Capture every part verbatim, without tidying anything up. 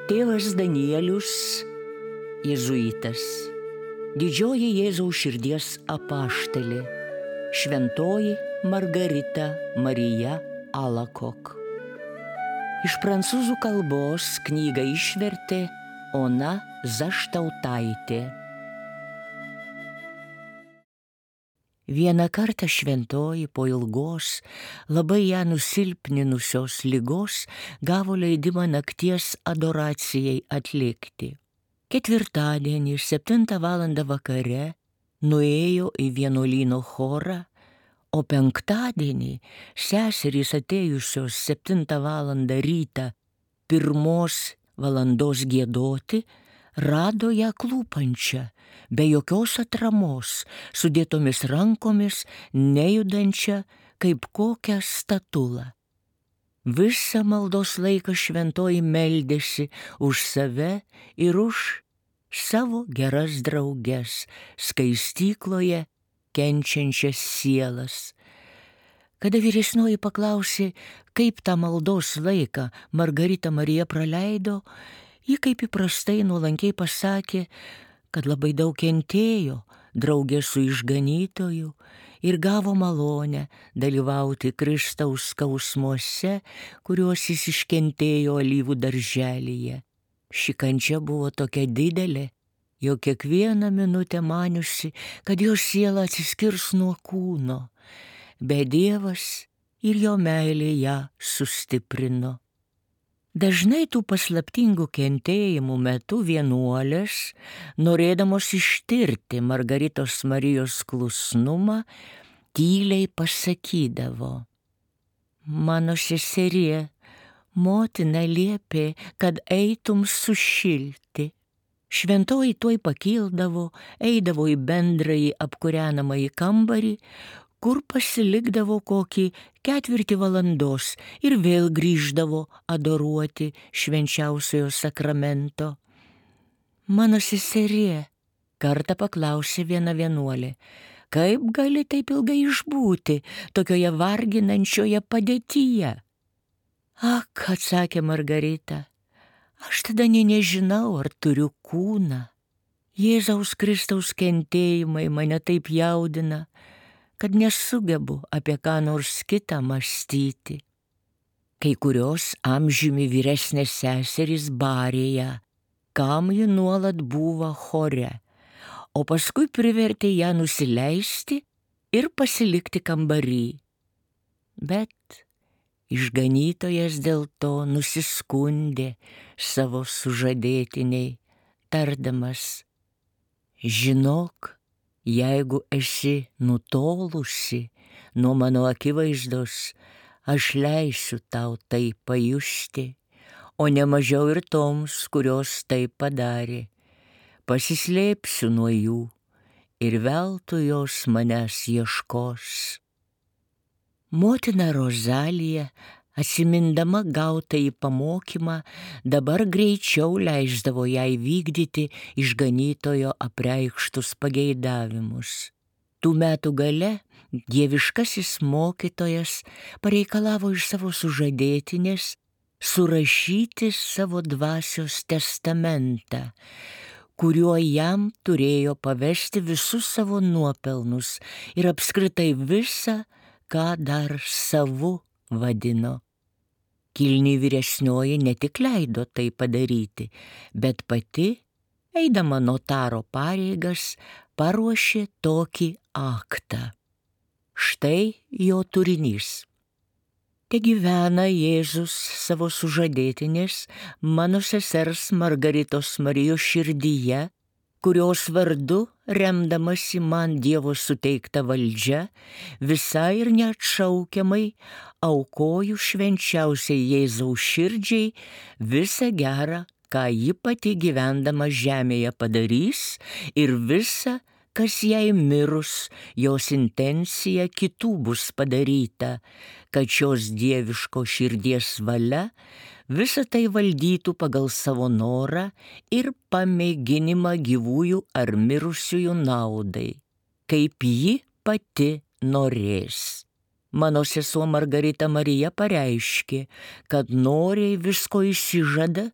Tėvas Danielius, jėzuitas, didžioji Jėzaus širdies apaštalė, šventoji Margarita Marija Alacoque. Iš prancūzų kalbos knygą išvertė Ona Zaštautaitė. Vieną kartą šventoji po ilgos, labai ją nusilpninusios ligos gavo leidimą nakties adoracijai atlikti. Ketvirtadienį, septintą valandą vakare, nuėjo į vienuolyno chorą, o penktadienį seserys atėjusios septintą valandą rytą pirmos valandos giedoti, rado ją klūpančią, be jokios atramos, sudėtomis rankomis, nejudančią kaip kokią statulą. Visą maldos laiką šventoji meldėsi už save ir už savo geras drauges skaistykloje kenčiančias sielas. Kada vyresnioji paklausė, kaip tą maldos laiką Margarita Marija praleido, ji kaip įprastai nuolankiai pasakė, kad labai daug kentėjo draugė su išganytoju ir gavo malonę dalyvauti Kristaus skausmuose, kuriuos jis iškentėjo alyvų darželyje. Ši kančia buvo tokia didelė, jau kiekvieną minutę maniusi, kad jos siela atsiskirs nuo kūno, bet Dievas ir jo meilė ją sustiprino. Dažnai tų paslaptingų kentėjimų metu vienuolės, norėdamos ištirti Margaritos Marijos klusnumą, tyliai pasakydavo: mano seserie, motina liepė, kad eitum sušilti. Šventoji tuoj pakildavo, eidavo į bendrąjį apkūrenamąjį kambarį, kur pasilikdavo kokį ketvirtį valandos ir vėl grįždavo adoruoti švenčiausiojo sakramento. Mano seserie, kartą paklausė viena vienuolė, kaip gali taip ilgai išbūti tokioje varginančioje padėtyje? Ak, atsakė Margarita, aš tada nė nežinau, ar turiu kūną. Jėzaus Kristaus kentėjimai mane taip jaudina, kad nesugebu apie ką nors kitą mąstyti. Kai kurios amžiumi vyresnės seserys barė ją, kam ji nuolat buvo chore, o paskui privertė ją nusileisti ir pasilikti kambarį. Bet išganytojas dėl to nusiskundė savo sužadėtiniai, tardamas: žinok, jeigu esi nutolusi nuo mano akivaizdos, aš leisiu tau tai pajusti, o ne mažiau ir toms, kurios tai padarė. Pasislėpsiu nuo jų ir veltui jos manęs ieškos. Motina Rozalija, atsimindama gautąjį pamokymą, dabar greičiau leisdavo jai vykdyti išganytojo apreikštus pageidavimus. Tų metų gale dieviškasis mokytojas pareikalavo iš savo sužadėtinės surašyti savo dvasios testamentą, kuriuo jam turėjo pavesti visus savo nuopelnus ir apskritai visą, ką dar savu vadino. Kilni vyresnioji ne tik leido tai padaryti, bet pati, eidama notaro pareigas, paruošė tokį aktą. Štai jo turinys. Te gyvena Jėzus savo sužadėtinės, mano sesers Margaritos Marijos širdyje, kurios vardu, remdamasi man Dievo suteikta valdžia, visai ir neatšaukiamai aukoju švenčiausiai Jėzaus širdžiai visą gerą, ką ji pati gyvendama žemėje padarys, ir visa, kas jai mirus, jos intencija kitų bus padaryta, kad šios dieviško širdies valia visą tai valdytų pagal savo norą ir pamėginimą gyvųjų ar mirusiųjų naudai, kaip ji pati norės. mano sesuo Margarita Marija pareiškė, kad noriai visko išsižada,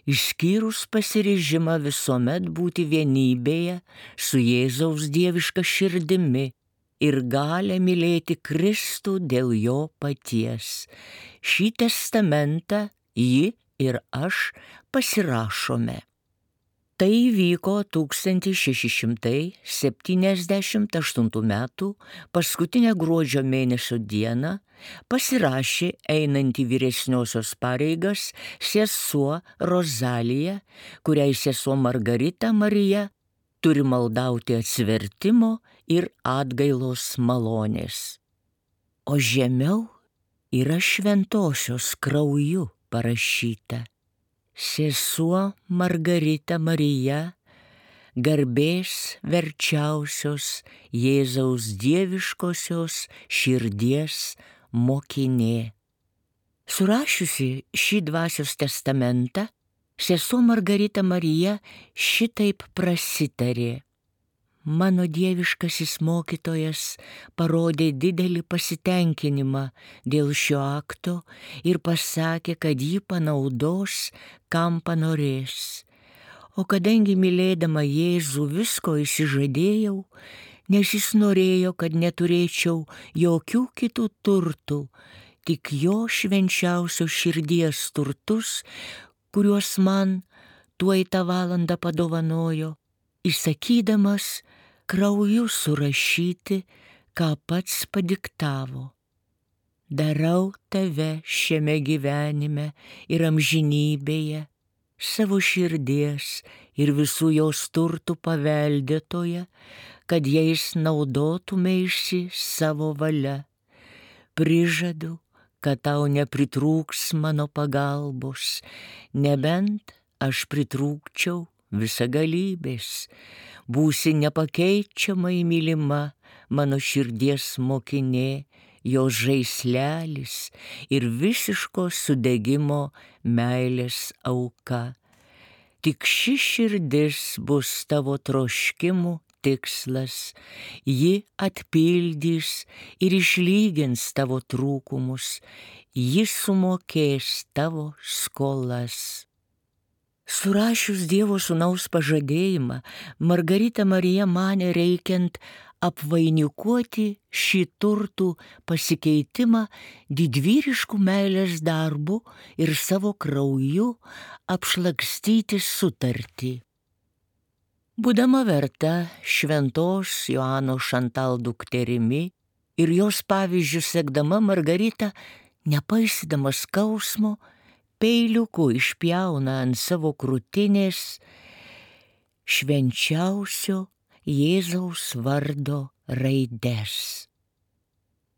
išskyrus pasiryžimą visuomet būti vienybėje su Jėzaus dieviška širdimi ir galę mylėti Kristų dėl jo paties. Šį testamentą ji ir aš pasirašome. Tai įvyko tūkstantis šeši šimtai septyniasdešimt aštuntų metų paskutinę gruodžio mėnesio dieną pasirašė einanti vyresniosios pareigas sesuo Rozalija, kuriai sesuo Margarita Marija turi maldauti atsivertimo ir atgailos malonės. O žemiau yra šventosios krauju parašyta: sesuo Margarita Marija, garbės verčiausios Jėzaus dieviškosios širdies mokinė. Surašiusi šį dvasios testamentą, sesuo Margarita Marija šitaip prasitarė: mano dieviškasis mokytojas parodė didelį pasitenkinimą dėl šio akto ir pasakė, kad jį panaudos, kam panorės. O kadangi mylėdama Jėzų visko išsižadėjau, nes jis norėjo, kad neturėčiau jokių kitų turtų, tik jo švenčiausios širdies turtus, kuriuos man tuoj tą valandą padovanojo, įsakydamas krauju surašyti, ką pats padiktavo. Darau tave šiame gyvenime ir amžinybėje, savo širdies ir visų jos turtų paveldėtoje, kad jais naudotumeisi savo valia. Prižadu, kad tau nepritrūks mano pagalbos, nebent aš pritrūkčiau visagalybės. Būsi nepakeičiamai mylima mano širdies mokinė, jos žaislelis ir visiško sudegimo meilės auka. Tik ši širdis bus tavo troškimų tikslas, ji atpildys ir išlygins tavo trūkumus, ji sumokės tavo skolas. Surašius Dievo sūnaus pažadėjimą, Margarita Marija manė reikiant apvainikuoti šį turtų pasikeitimą didvyriškų meilės darbų ir savo krauju apšlakstyti sutartį. Būdama verta šventos Joano Šantal dukterimi ir jos pavyzdžių sekdama, Margarita, nepaisydama skausmo, peiliuku išpjauna ant savo krūtinės švenčiausio Jėzaus vardo raides.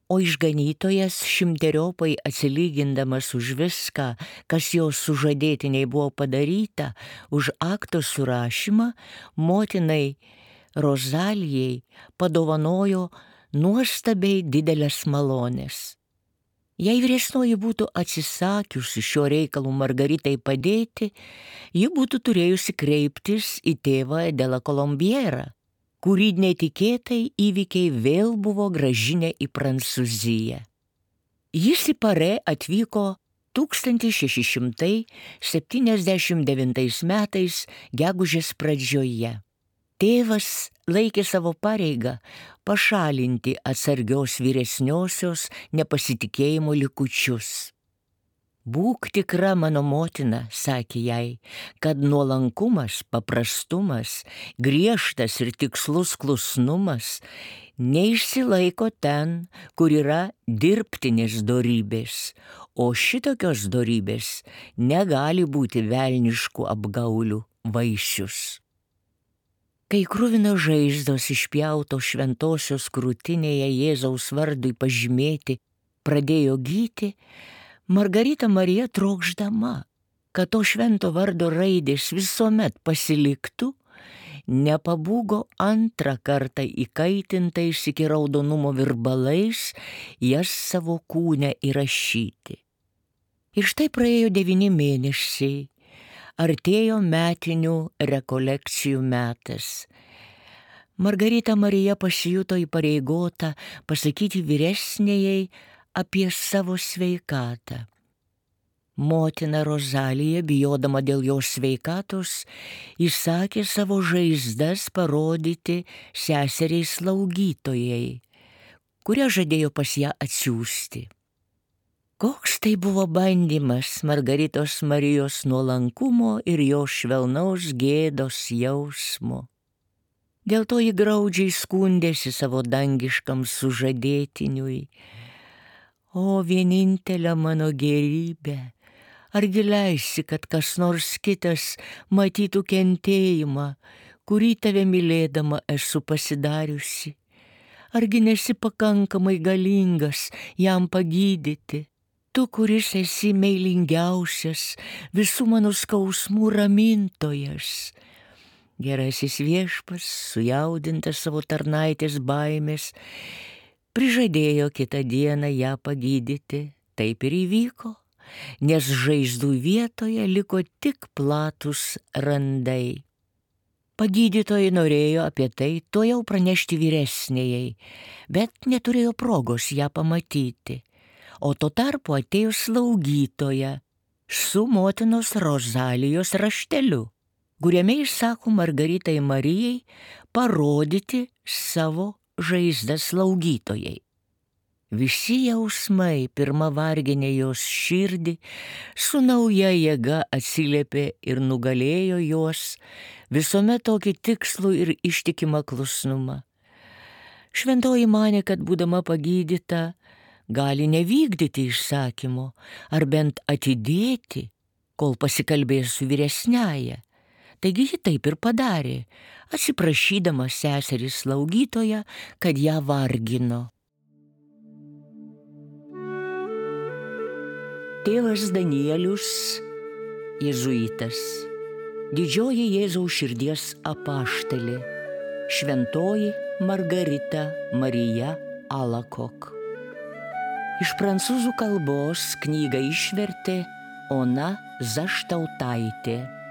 O išganytojas, šimteriopai atsilygindamas už viską, kas jos sužadėtiniai buvo padaryta, už akto surašymą, motinai Rozalijai padovanojo nuostabiai didelės malonės. Jei vyresnoji būtų atsisakiusi šio reikalų Margaritai padėti, ji būtų turėjusi kreiptis į tėvą Edelą Kolombierą, kurį netikėtai įvykiai vėl buvo grąžinę į Prancūziją. Jis į Parė atvyko tūkstantis šeši šimtai septyniasdešimt devintais metais gegužės pradžioje. Tėvas laikė savo pareigą pašalinti atsargios vyresniosios nepasitikėjimo likučius. Būk tikra, mano motina, sakė jai, kad nuolankumas, paprastumas, griežtas ir tikslus klusnumas neišsilaiko ten, kur yra dirbtinės dorybės, o šitokios dorybės negali būti velniškų apgaulių vaisius. Kai kruvino žaizdos išpjauto šventosios krūtinėje Jėzaus vardui pažymėti pradėjo gyti, Margarita Marija trokšdama, kad to švento vardo raidės visuomet pasiliktų, nepabūgo antrą kartą įkaitintais iki raudonumo virbalais jas savo kūne įrašyti. Ir štai praėjo devyni mėnesiai. Artėjo metinių rekolekcijų metas. Margarita Marija pasijuto įpareigota pasakyti vyresnėjai apie savo sveikatą. Motina Rozalija, bijodama dėl jos sveikatos, įsakė savo žaizdas parodyti seseriai slaugytojai, kurią žadėjo pas ją atsiųsti. Koks tai buvo bandymas Margaritos Marijos nuolankumo ir jos švelnaus gėdos jausmo. Dėl to ji graudžiai skundėsi savo dangiškam sužadėtiniui. O vienintelė mano gerybė, argi leisi, kad kas nors kitas matytų kentėjimą, kurį tave mylėdama esu pasidariusi? Argi nesi pakankamai galingas jam pagydyti? Tu, kuris esi meilingiausias, visų mano skausmų ramintojas. Gerasis viešpats, sujaudintas savo tarnaitės baimės, prižadėjo kitą dieną ją pagydyti. Taip ir įvyko, nes žaizdų vietoje liko tik platūs randai. Pagydytojai norėjo apie tai tuojau pranešti vyresnėjai, bet neturėjo progos ją pamatyti. O tuo tarpu atėjo slaugytoja su motinos Rozalijos rašteliu, kuriame išsako Margaritai Marijai parodyti savo žaizdą slaugytojai. Visi jausmai pirma varginė jos širdį, su nauja jėga atsiliepė ir nugalėjo jos visuomet tokį tikslų ir ištikimą klusnumą. Šventoji manė, kad būdama pagydyta, gali nevykdyti įsakymo, ar bent atidėti, kol pasikalbės su vyresniaja. Taigi ji taip ir padarė, atsiprašydama seserį slaugytoją, kad ją vargino. Tėvas Danielius, jėzuitas, didžioji Jėzaus širdies apaštalė, šventoji Margarita Marija Alakok. Iš prancūzų kalbos knygą išvertė Ona Zaštautaitė.